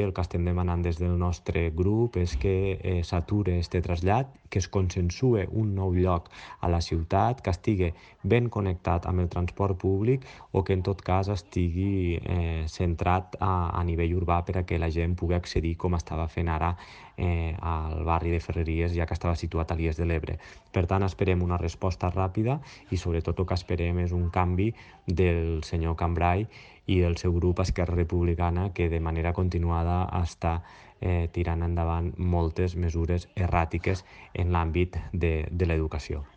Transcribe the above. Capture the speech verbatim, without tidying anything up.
El que estem demanant des del nostre grup és que eh, s'ature aquest trasllat, que es consensue un nou lloc a la ciutat, que estigui ben connectat amb el transport públic o que en tot cas estigui eh, centrat a, a nivell urbà per a que la gent pugui accedir com estava fent ara eh, al barri de Ferreries, ja que estava situat a l'Ies de l'Ebre. Per tant, esperem una resposta ràpida i sobretot el que esperem és un canvi del senyor Cambray i el seu grup Esquerra Republicana, que de manera continuada està eh, tirant endavant moltes mesures erràtiques en l'àmbit de, de l'educació.